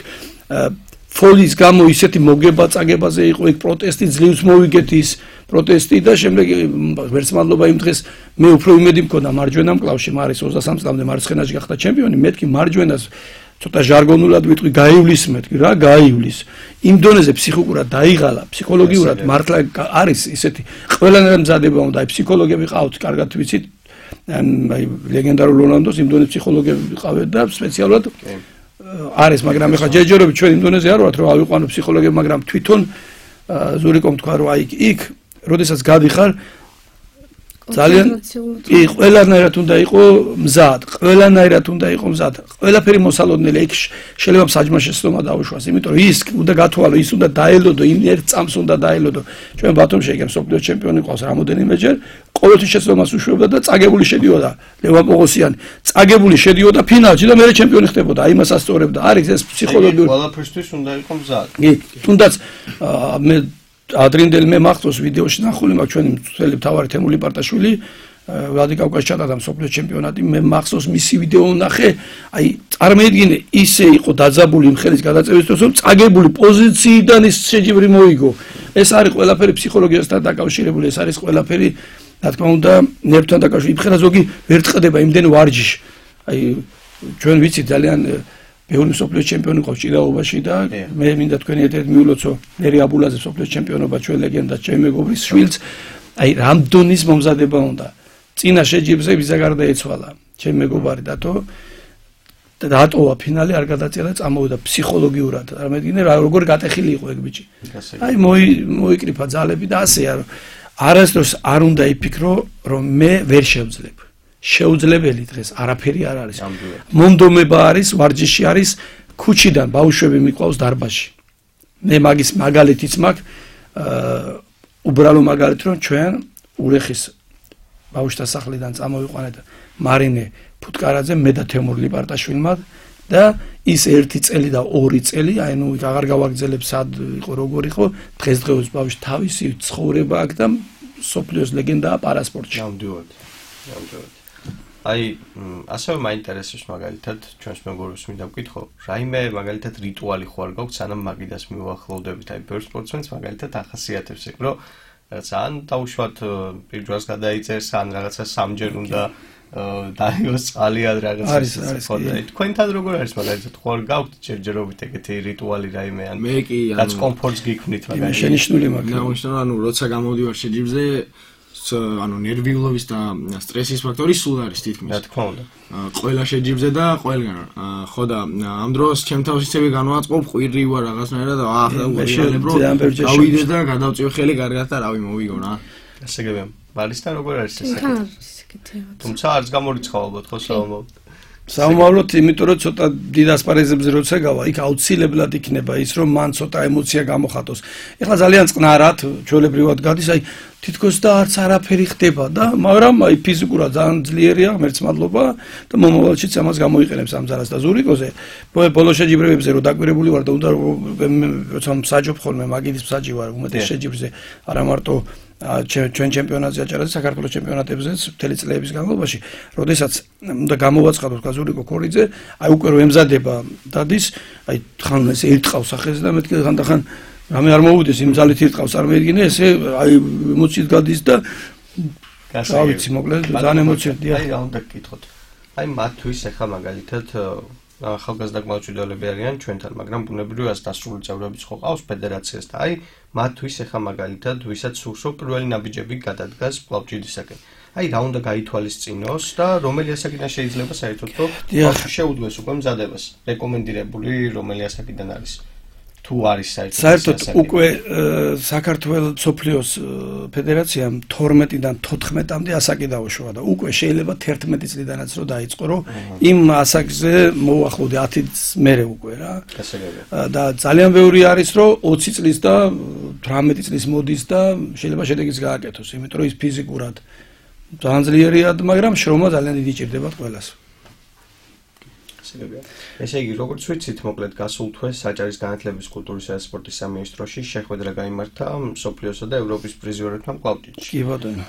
ფოლის გამო ისეთი მოგება წაგებაზე იყო იქ პროტესტი ძლივს მოვიგეთ ის პროტესტი და შემდეგ ვერც მადლობა იმ დღეს მე უფრო იმედი მქონდა მარჯვენა მკლავში მარის 23 წლამდე მარცხენაში გახდა ჩემპიონი მეთქი მარჯვენას ცოტა ჟარგონულად ვიტყვი გაივლის მეთქი რა გაივლის იმ დონეზე ფსიქიკურად დაიღალა ფსიქოლოგიურად მართლა არის ისეთი ყველანაირად მზადება უნდა ფსიქოლოგები ყავთ კარგად ვიცით ლეგენდარულ რონალდოს იმ დონეზე ფსიქოლოგები ყავეთ და სპეციალურად არის მაგრამ ეხლა ჯერჯერობით ჩვენ იმ დონეზე არ ვართ რომ ავიყვანო ფსიქოლოგები მაგრამ თვითონ ზურიკომ თქვა რომ იქ როდესაც გადიხარ ძალიან ყველანაირად უნდა იყო მზად ყველაფერი მოსალოდნელი იქ შეიძლება საჯმა შეცდომა დაუშვას იმიტომ რომ ის უნდა გათვალო ის უნდა დაელოდო იმ ერთ წამს უნდა დაელოდო ჩვენ ბათუმში ეგ მსოფლიო ჩემპიონი ყავს რამოდენიმეჯერ ყოველთვის შეცდომას უშვებდა და წაგებული შედიოდა ლევან პოღოსიანი წაგებული შედიოდა ფინალში და მეორე ჩემპიონი ხდებოდა იმას ასწორებდა არის ეს ფსიქოლოგიური ყველაფერთვის უნდა იყო მზად თუნდაც მე ადრინდელი მე მახსოვს ვიდეოში ნახული მაქვს ჩვენი მთელი მთავარი თემული პარტაშვილი ვლადიკავკაზ ჩატარდა მსოფლიო ჩემპიონატი მე მახსოვს მისი ვიდეო ნახე წარმოედგინე ისე იყო დაძაბული იმ ხელის გადაწევის დროს რომ წაგებული პოზიციიდან ის შეჯიბრი მოიგო ეს არის ყველაფერი ფსიქოლოგიასთან დაკავშირებული ეს არის ყველაფერი რა თქმა უნდა ნერვთან დაკავშირებული იმხელა ზოგი ვერ წდება იმდენ ვარჯიში ჩვენ ვიცით ძალიან ბევრი მსოფლიო ჩემპიონი ყავს ჭიდაობაში და მე მინდა თქვენი ერთ-ერთი მიულოცო ნერი აბულაძე მსოფლიო ჩემპიონობა ჩვენ ლეგენდა ჩემი მეგობრის შვილს რამდონის მომზადება უნდა წინა შეჯიბრზე ვიზა გარდაეცვალა ჩემი მეგობარი დატოვა ფინალი არ გადაწერა წამოვიდა ფსიქოლოგიურად წარმოედგინე როგორ გატეხილი იყო ეგ ბიჭი მოიკრიფა ძალები და ასეა არასდროს არ უნდა იფიქრო რომ მე ვერ შევძლებ შეუძლებელი დღეს არაფერი არ არის. მომდომება არის, ვარჯიში არის, ქუჩიდან ბავშვები მიყვავს დარბაზში. მე მაგის მაგალითიც მაქვს, უბრალო მაგალითი რომ ჩვენ ურეხის ბავშვთა სახლიდან წამოვიყვანეთ მარინე ფუტკარაძე, მე და თემურ ლიპარტაშვილმა და ის 1 წელი და 2 წელი, აი ნუ აღარ გავაგრძელებ სად იყო როგორ იყო, დღესდღეობით ბავშვი თავისი ცხოვრება აქვს და სოფლიოს ლეგენდაა პარასპორტში. ნამდვილად. აი, ასევე მაინტერესებს მაგალითად ჩვენს მეგობრებს მინდა ვკითხო, რაიმე მაგალითად რიტუალი ხო არ გაქვს, სანამ მაგიდას მივახლოვდებით, აი ბევრ სპორტსმენს მაგალითად ახასიათებს ეგ, რომ ან დაუშვათ პირდროს გადაიწერს, ან რაღაცა სამჯერ უნდა დაიოს წყალი ან რაღაცა ხოდა. თქვენთან როგორ არის მაგალითად ხო არ გაქვთ ჯერჯერობით ეგეთი რიტუალი რაიმე ან მე კი რაც კომფორტს გიქმნით მაგალითად. შენიშნული მაქვს. ნაუშნო ანუ როცა გამოდივარ შეჯიბრზე ანუ ნერვიულობის და სტრესის ფაქტორი სულ არის თითქმის. რა თქმა უნდა. ყველა შეჯიბრზე და ყველგან. ხო და ამ დროს ჩემ თავს ისევე განვაწყობ, ყვირი ვარ რაღაცნაირად და ვიღალებ რომ გავიდე და გადავწიო ხელი კარგად და რავი მოვიგო რა. ასე გებია. ბალისთან როგორ არის ეს? თუმცა არც გამორიცხავ ალბათ ხო საომავლოდ. საომავლოდ, იმიტომ რომ ცოტა დიდ ასპარეზებზე როცა გავა, იქ აუცილებლად იქნება ის რომ მან ცოტა ემოცია გამოხატოს. ეხლა ძალიან წყნარად, ჩვეულებრივად გადის, აი თითქოს და არც არაფერი ხდება და მაგრამ აი ფიზიკურად ძალიან ძლიერია, ღმერთს მადლობა და მომავალშიც ამას გამოიყენებს ამ ძალას და ზურიკოზე ბოლო შეჯიბრებებზე რომ დაკვირებული ვარ და უნდა როცა მსაჯობ ხოლმე მაგიდის მსაჯი ვარ უმეტეს შეჯიბრზე არა მარტო ჩვენ ჩემპიონატზე აჭარაზე საქართველოს ჩემპიონატებზეც მთელი წლების განმავლობაში, როდესაც უნდა გამოვაცხადოთ კაზურიკო ქორიძე, აი უკვე რომ ემზადება დადის, აი ხან ეს ერტყავს ახეზე და მეთქე ხანდახან რამე არ მოვუდეს იმ ძალით ერტყავს არ მედგინე, ესე აი ემოციით გადის და რა ვიცი, მოკლედ ძალიან ემოციებია. აი რა უნდა გკითხოთ. აი მათთვის ახლა მაგალითად ახალგაზრდა გმაჩვიდელები არიან ჩვენთან, მაგრამ ბუნებრივია დასრული წევრებიც ხო ყავს ფედერაციას და აი მათთვის ახლა მაგალითად ვისაც სურს რომ პირველი ნაბიჯები გადადგას კლავჭიდისაკენ. აი რა უნდა გაითვალისწინოს და რომელი ასაკიდან შეიძლება საერთოდ რომ შეუდგეს უკვე მზადებას. რეკომენდირებული რომელი ასაკიდან არის? თუ არის საერთოდ უკვე საქართველოს სოფლიოს ფედერაციამ 12-დან 14-მდე ასაკი დაუშვა და უკვე შეიძლება 11 წლიდანაც რომ დაიწყო რომ იმ ასაკზე მოუახლოვდე 10 წლის მერე უკვე რა. და ძალიან ბევრი არის რომ 20 წლის და 18 წლის მოდის და შეიძლება შედეგიც გააკეთოს, იმიტომ რომ ის ფიზიკურად ძალიან ძლიერია, მაგრამ შრომა ძალიან დიდი ჭირდება ყველას. ესე იგი, როგორც ვიცით, მოკლედ გასულ თვეს საჭარის განათლების, კულტურისა და სპორტის სამინისტროში შეხვედრა გაიმართა მსოფლიოსა და ევროპის პრიზიორებთან კლავჭიდში. კი ბატონო.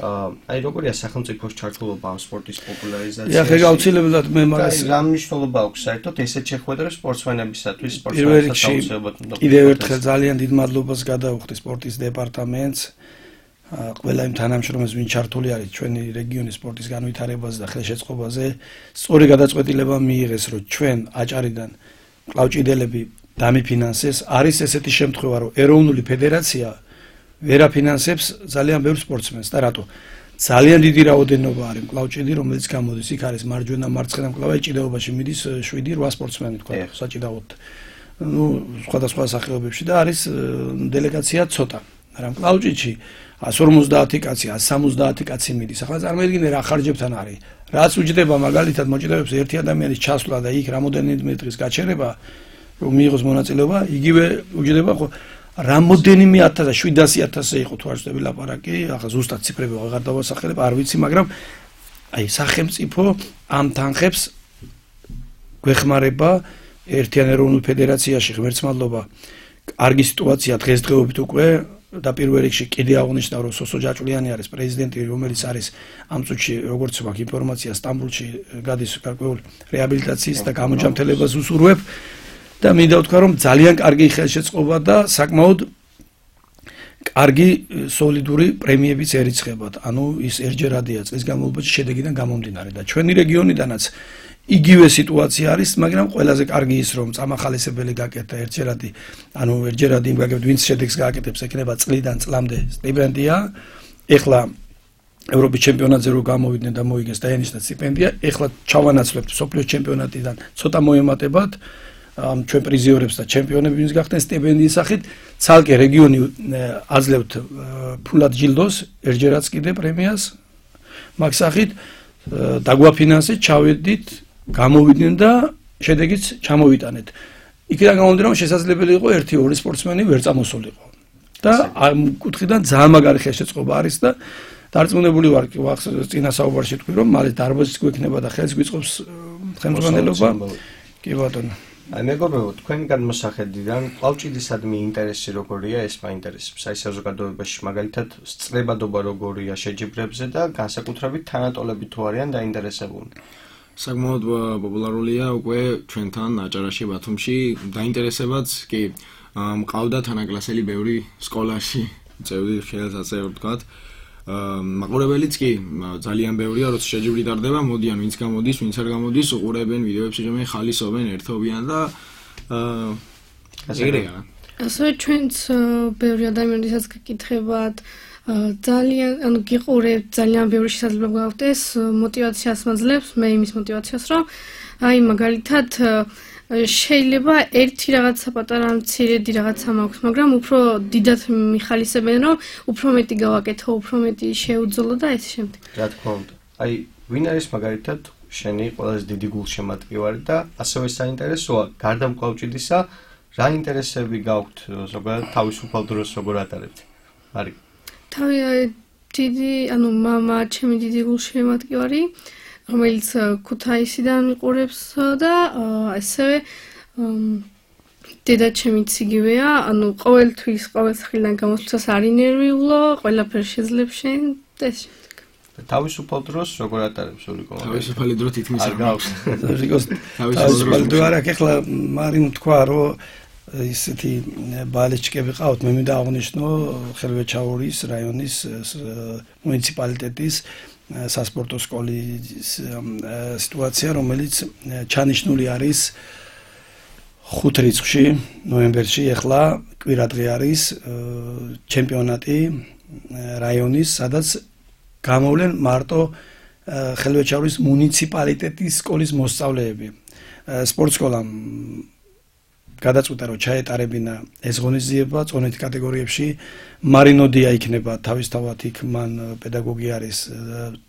აი როგორია სახელმწიფოს ჩართულობა ამ სპორტის პოპულარიზაციაში? ახლა გაუცილებლად მე მაგას რა მნიშვნელობა აქვს საერთოდ ესეთ შეხვედრებს სპორტსმენებისათვის, სპორტსმენებსაც აუცილებლად უნდა. კიდევ ერთხელ ძალიან დიდ მადლობას გადავუხდი სპორტის დეპარტამენტს. ყველა იმ თანამშრომლებს, ვინ ჩართული არის ჩვენი რეგიონის სპორტის განვითარებაზე და ხელშეწყობაზე, სწორი გადაწყვეტილება მიიღეს, რომ ჩვენ აჭარიდან კლავჭიდელები დამიფინანსეს. არის ესეთი შემთხვევა, რომ ეროვნული ფედერაცია ვერ აფინანსებს ძალიან ბევრ სპორტსმენს და რატო? ძალიან დიდი რაოდენობა არის კლავჭიდი, რომელიც გამოდის. იქ არის მარჯვენა, მარცხენა მკლავი, ჭიდაობაში მიდის 7-8 სპორტსმენი თქვა, საჭიდაოდ. ნუ სხვადასხვა სახეობებში და არის დელეგაცია ცოტა. მაგრამ კლავჭიდში 150 კაცი, 170 კაცი მიდის. ახლა წარმოიდგინე რა ხარჯებთან არის. რაც უჯდება მაგალითად მოჭიდებს ერთი ადამიანის ჩასვლა და იქ რამოდენიმე დღის გაჩერება, რომ მიიღოს მონაწილეობა, იგივე უჯდება ხო რამოდენიმე 700-1000 იყო თუ არ ვწდები ლაპარაკი, ახლა ზუსტად ციფრები აღარ დავასახელებ, არ ვიცი, მაგრამ აი სახელმწიფო ამ თანხებს გვეხმარება ერთიან ეროვნულ ფედერაციაში, ღმერთს მადლობა. კარგი სიტუაცია დღესდღეობით უკვე და პირველ რიგში კიდე აღნიშნავ რომ სოსო ჯაჭვლიანი არის პრეზიდენტი, რომელიც არის ამ წუთში როგორც ვაქვს ინფორმაცია სტამბოლში გადის გარკვეული რეაბილიტაციის და გამოჯამთელებას უსურვებ და მინდა ვთქვა რომ ძალიან კარგი ხელშეწყობა და საკმაოდ კარგი სოლიდური პრემიებიც ერიცხებათ. ანუ ის ერთჯერადია წლის განმავლობაში შედეგიდან გამომდინარე და ჩვენი რეგიონიდანაც იგივე სიტუაცია არის, მაგრამ ყველაზე კარგი ის რომ წამახალისებელი გაკეთდა ერთჯერადი, ანუ ერთჯერადი იმ გაკეთდა, ვინც შედეგს გააკეთებს, ექნება წლიდან წლამდე სტიპენდია. ეხლა ევროპის ჩემპიონატზე რო გამოვიდნენ და მოიგეს დაენიშნა სტიპენდია, ეხლა ჩავანაცვლებთ სოფლიოს ჩემპიონატიდან ცოტა მოემატებათ ჩვენ პრიზიორებს და ჩემპიონები ვინც გახდნენ სტიპენდიის სახით, ცალკე რეგიონი აძლევთ ფულად ჯილდოს, ერთჯერადს კიდე პრემიას მაგ სახით დაგვაფინანსეთ, ჩავედით, გამოვიდნენ და შედეგიც ჩამოვიტანეთ. იქიდან გამომდინარე, რომ შესაძლებელი იყო 1-2 სპორტსმენი ვერ წამოსულიყო. და ამ კუთხიდან ძალიან მაგარი ხელშეწყობა არის და დარწმუნებული ვარ, წინა საუბარში თქვი, რომ მალე დარბაზიც გვექნება და ხელს გვიწყობს ხელმძღვანელობა. კი ბატონო. აი მეგობრებო, თქვენი გადმოსახედიდან კლავჭიდისადმი ინტერესი როგორია, ეს მაინტერესებს. აი საზოგადოებაში მაგალითად სწრებადობა როგორია შეჯიბრებზე და განსაკუთრებით თანატოლები თუ არიან დაინტერესებულნი. საკმაოდ პოპულარულია უკვე ჩვენთან აჭარაში, ბათუმში, დაინტერესებაც კი მყავდა თანაკლასელი ბევრი სკოლაში, წევდი ხელს ასე ვთქვათ. მაყურებელიც კი ძალიან ბევრია, როცა შეჯიბრი ტარდება, მოდიან ვინც გამოდის, ვინც არ გამოდის, უყურებენ ვიდეოებში, რომ ხალისობენ, ერთობიან და ეგრეა. ასევე ჩვენც ბევრი ადამიანისაც გკითხებათ, ძალიან, ანუ გიყურებთ, ძალიან ბევრი შესაძლებლობა გაქვთ ეს мотиваციას მაძლევს, მე იმის мотиваციას, რომ აი მაგალითად შეიძლება ერთი რაღაცა პატარა მცირედი რაღაცა მაქვს, მაგრამ უფრო დიდად მიხალისებენ, რომ უფრო მეტი გავაკეთო, უფრო მეტი შეუძლო და ეს შემდეგ. რა თქმა უნდა. აი, ვინ არის მაგალითად შენი ყველაზე დიდი გულშემატკივარი და ასევე საინტერესოა, გარდა მკლავჭიდისა, რა ინტერესები გაქვთ ზოგადად თავისუფალ დროს როგორ ატარებთ? მარი. დიდი, ანუ მამა, ჩემი დიდი გულშემატკივარი, რომელიც ქუთაისიდან მიყურებს და ასევე დედა ჩემიც იგივეა, ანუ ყოველთვის, ყოველ სახლიდან გამოსვლას არ ინერვიულო, ყველაფერს შეძლებს შენ და ეს შემდეგ. თავისუფალ დროს როგორ ატარებს ულიკო? თავისუფალი დრო თითქმის არ გაქვს. თავისუფალი დრო არ აქვს, ახლა მარიმ თქვა, რომ ისეთი ბალეჩკები ყავთ, მე მინდა აღვნიშნო ხელვეჩაურის რაიონის მუნიციპალიტეტის სასპორტო სკოლის სიტუაცია, რომელიც ჩანიშნული არის 5 რიცხვში ნოემბერში, ახლა კვირადღე არის ჩემპიონატი რაიონის, სადაც გამოვლენ მარტო ხელვეჩაურის მუნიციპალიტეტის სკოლის მოსწავლეები. სპორტ სკოლამ გადაწყვიტა, რომ ჩაეტარებინა ეს ღონისძიება წონით კატეგორიებში. მარინოდია იქნება თავისთავად იქ მან პედაგოგი არის,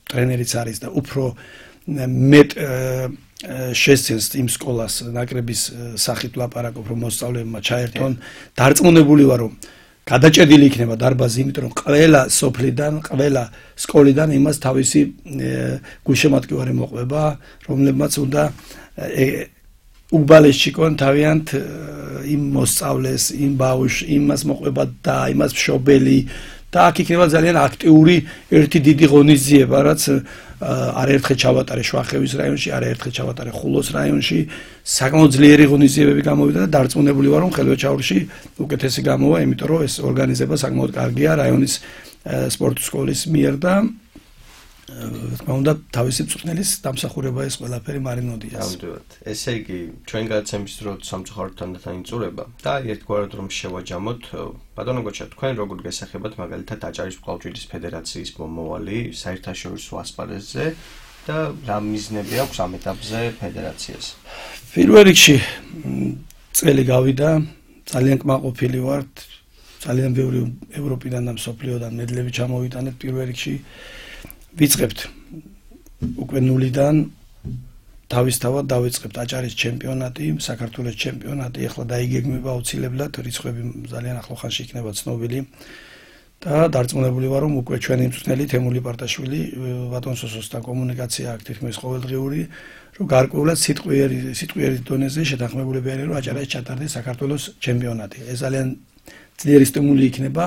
ტრენერიც არის და უფრო მეტ შესცენს იმ სკოლას ნაკრების სახით ლაპარაკობ, რომ მოსწავლეებმა ჩაერთონ. დარწმუნებული ვარ, რომ გადაჭედილი იქნება დარბაზი, იმიტომ რომ ყველა სოფლიდან, ყველა სკოლიდან იმას თავისი გულშემატკივარი მოყვება, რომლებმაც უნდა უბალეშიკონ თავიანთ იმ მოსწავლეს, იმ ბავშვს, იმას მოყვება და იმას მშობელი და აქ იქნება ძალიან აქტიური ერთი დიდი ღონისძიება, რაც არაერთხელ ჩავატარე შვახევის რაიონში, არაერთხელ ჩავატარე ხულოს რაიონში, საკმაოდ ძლიერი ღონისძიებები გამოვიდა და დარწმუნებული ვარ, რომ ხელვეჩაურში უკეთესი გამოვა, იმიტომ რომ ეს ორგანიზება საკმაოდ კარგია რაიონის სპორტის სკოლის მიერ და თქმა უნდა თავისი მწვრთნელის დამსახურება ეს ყველაფერი მარინოდიას. ნამდვილად. ესე იგი, ჩვენ გადაცემის დრო სამწუხაროდ თანდათანიწურება და ერთგვარად რომ შევაჯამოთ, ბატონო გოჩა, თქვენ როგორ გესახებათ მაგალითად აჭარის მკლავჭიდის ფედერაციის მომავალი საერთაშორისო ასპარეზზე და რა მიზნები აქვს ამ ეტაპზე ფედერაციას? პირველ რიგში წელი გავიდა, ძალიან კმაყოფილი ვართ, ძალიან ბევრი ევროპიდან და მსოფლიოდან მედლები ჩამოვიტანეთ პირველ რიგში. ვიწყებთ უკვე ნულიდან, თავისთავად დავიწყებთ აჭარის ჩემპიონატი, საქართველოს ჩემპიონატი, ახლა დაიგეგმება აუცილებლად, რიცხვები ძალიან ახლო ხანში იქნება ცნობილი და დარწმუნებული ვარ, რომ უკვე ჩვენი მწვრთნელი თემური პარტაშვილი, ბატონ სოსოსთან კომუნიკაცია აქვს თითქმის ყოველდღიური, რომ გარკვეულად სიტყვიერი დონეზე შეთანხმებულები არიან, რომ აჭარაში ჩატარდეს საქართველოს ჩემპიონატი. ეს ძალიან ძლიერი სტიმული იქნება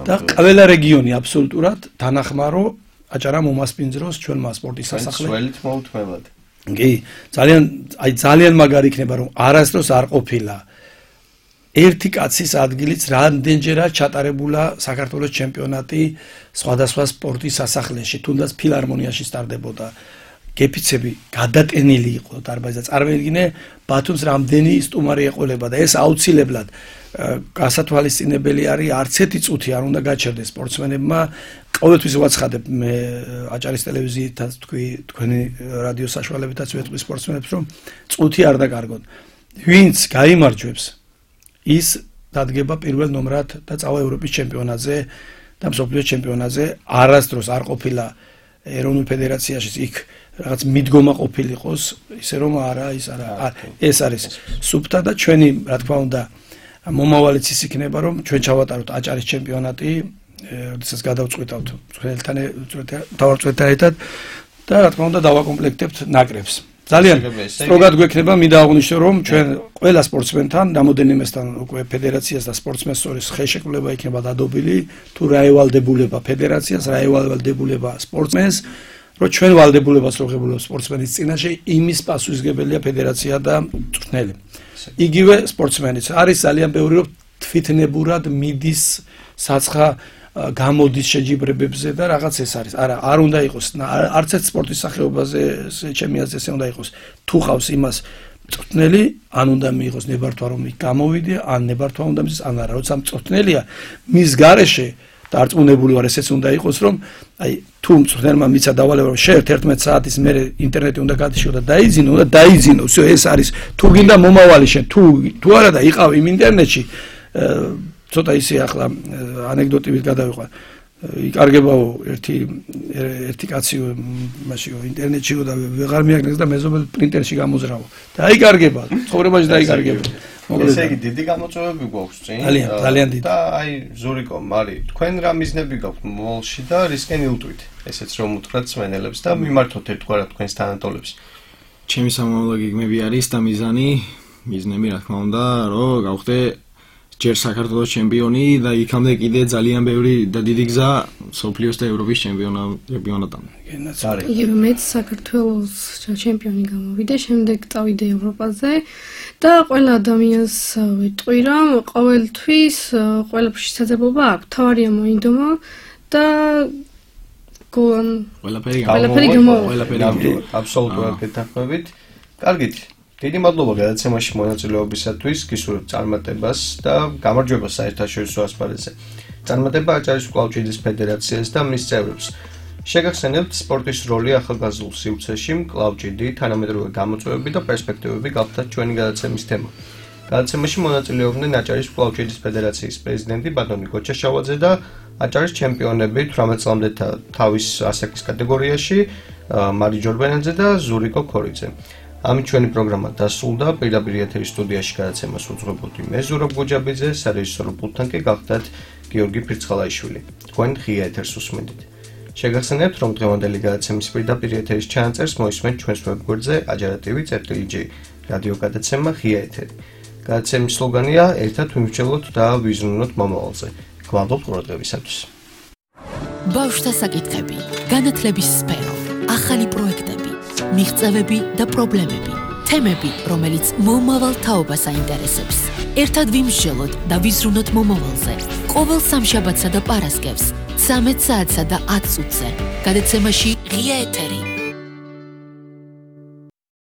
და ყველა რეგიონი აბსოლუტურად თანახმარო აჭარა მომასპინძლოს ჩვენმა სპორტის სასახლეს. სველით მოუთმევად. კი, ძალიან მაგარი იქნება, რომ არასდროს არ ყოფილა ერთი კაცის ადგილიც რამდენჯერაა ჩატარებულა საქართველოს ჩემპიონატი სხვადასხვა სპორტის სასახლეში, თუნდაც ფილარმონიაში სტარდებოდა. გეფიცები გადატენილი იყო დარბაზი და წარმოიდგინე ბათუმს რამდენი სტუმარი ეყოლება და ეს აუცილებლად გასათვალისწინებელი არის, არც ერთი წუთი არ უნდა გაჩერდეს სპორტსმენებმა. ყოველთვის ვაცხადებ მე აჭარის ტელევიზიითაც თქვენი რადიო საშუალებითაც ვეთქვი სპორტსმენებს, რომ წუთი არ დაკარგონ. ვინც გაიმარჯვებს, ის დადგება პირველ ნომრად და წავა ევროპის ჩემპიონატზე და მსოფლიოს ჩემპიონატზე. არასდროს არ ყოფილა ეროვნულ ფედერაციაში იქ რაღაც მიდგომა ყოფილიყოს, ისე რომ ეს არის სუფთა და ჩვენი, რა თქმა უნდა, მომავალიც ის იქნება, რომ ჩვენ ჩავატაროთ აჭარის ჩემპიონატი, როდესაც გადავწყვეტავთ თავარწყვეტთან ერთად და რა თქმა უნდა დავაკომპლექტებთ ნაკრებს. ძალიან სტროგად გვექნება, მინდა აღვნიშნო, რომ ჩვენ ყველა სპორტსმენთან, რამოდენიმესთან უკვე ფედერაციას და სპორტსმენს შორის ხელშეკრულება იქნება დადობილი, თუ რა ევალდებულება ფედერაციას, რა ევალდებულება სპორტსმენს, რომ ჩვენ ვალდებულებას რო ღებულობს სპორტსმენის წინაშე, იმის პასუხისმგებელია ფედერაცია და მწვრთნელი. იგივე სპორტსმენიც არის ძალიან ბევრი, რომ თვითნებურად მიდის საცხა გამოდის შეჯიბრებებზე და რაღაც ეს არის. არ უნდა იყოს, არც ერთ სპორტის სახეობაზე ჩემი აზრით ესე უნდა იყოს. თუ ყავს იმას მწვრთნელი, ან უნდა მიიღოს ნებართვა რომ გამოვიდე, ან ნებართვა უნდა მის ან არა, როცა მწვრთნელია, მის გარეშე დარწმუნებული ვარ, ესეც უნდა იყოს, რომ აი თუ მწვრთნელმა მიცა დავალება, რომ შეერთ 11 საათის მერე ინტერნეტი უნდა გადიშო და დაიძინო, всё ეს არის. თუ გინდა მომავალი შენ, თუ არა და იყავ იმ ინტერნეტში, ცოტა ისე ახლა ანეკდოტივით გადავიყვა. იკარგებაო ერთი კაციო მაშიო ინტერნეტშიო და ვეღარ მიაგნეს და მეზობელ პრინტერში გამოზრავო. დაიკარგება, ცხოვრებაში დაიკარგება. ესე იგი დიდი გამოწვევები გვაქვს წინ. ძალიან დიდი. და აი ზურიკო, მარი, თქვენ რა მიზნები გაქვთ მომავალში და რისკენ ილტვით? ესეც რომ უთხრათ სვენელებს და მიმართოთ ერთგვარად თქვენს თანატოლებს. ჩემი სამომავლო გეგმები არის და მიზნები რა თქმა უნდა, რომ გავხდე ჯერ საქართველოს ჩემპიონი და იქამდე კიდე ძალიან ბევრი და დიდი გზა სოფლიოს და ევროპის ჩემპიონატამდე. იგივე მეც საქართველოს ჩემპიონი გამოვიდე, შემდეგ წავიდე ევროპაზე და ყველა ადამიანს ვიტყვი, რომ ყოველთვის ყველაფერში საძებობა აქვს. თავარია მოინდომა და ყველაფერი გამოვა. აბსოლუტურად გეთანხმებით. კარგით. დიდი მადლობა გადაცემაში მონაწილეობისათვის, გისურვებთ წარმატებას და გამარჯვებას საერთაშორისო ასპარეზზე. წარმატება აჭარის კლავჭიდის ფედერაციას და მის წევრებს. შეგახსენებთ სპორტის როლი ახალგაზრდულ სივრცეში, კლავჭიდი, თანამედროვე გამოწვევები და პერსპექტივები გახლდათ ჩვენი გადაცემის თემა. გადაცემაში მონაწილეობდნენ აჭარის კლავჭიდის ფედერაციის პრეზიდენტი ბატონი გოჩაშავაძე და აჭარის ჩემპიონები 18 წლამდე თავის ასაკის კატეგორიაში მარი ჯორბენაძე და ზურიკო ქორიძე. ამით ჩვენი პროგრამა დასრულდა. პირდაპირ ეთერის სტუდიაში გადაცემას უძღვებოდი მე ზურაბ გოჯაბიძე, სარეჟისორო პულტთან კი გახლდათ გიორგი ფირცხალაიშვილი. თქვენ ღია ეთერს უსმენთ. შეგახსენებთ, რომ დღევანდელი გადაცემის პირდაპირ ეთერის ჩანაწერს მოისმენთ ჩვენს ვებგვერდზე ajara.tv.gr რადიო გადაცემა ღია ეთერი. გადაცემის სლოგანია ერთად ვიმსჯელოთ და ვიზრუნოთ მომავალზე. გვალობთ ყურადღებისათვის. ბავშვთა საკითხები, განათლების სფერო, ახალი პროექტები, მიღწევები და პრობლემები, თემები, რომელიც მომავალ თაობას აინტერესებს. ერთად ვიმსჯელოთ და ვიზრუნოთ მომავალზე. ყოველ სამშაბათსა და პარასკევს 13 საათსა და 10 წუთზე. გადაცემაში ღია ეთერი.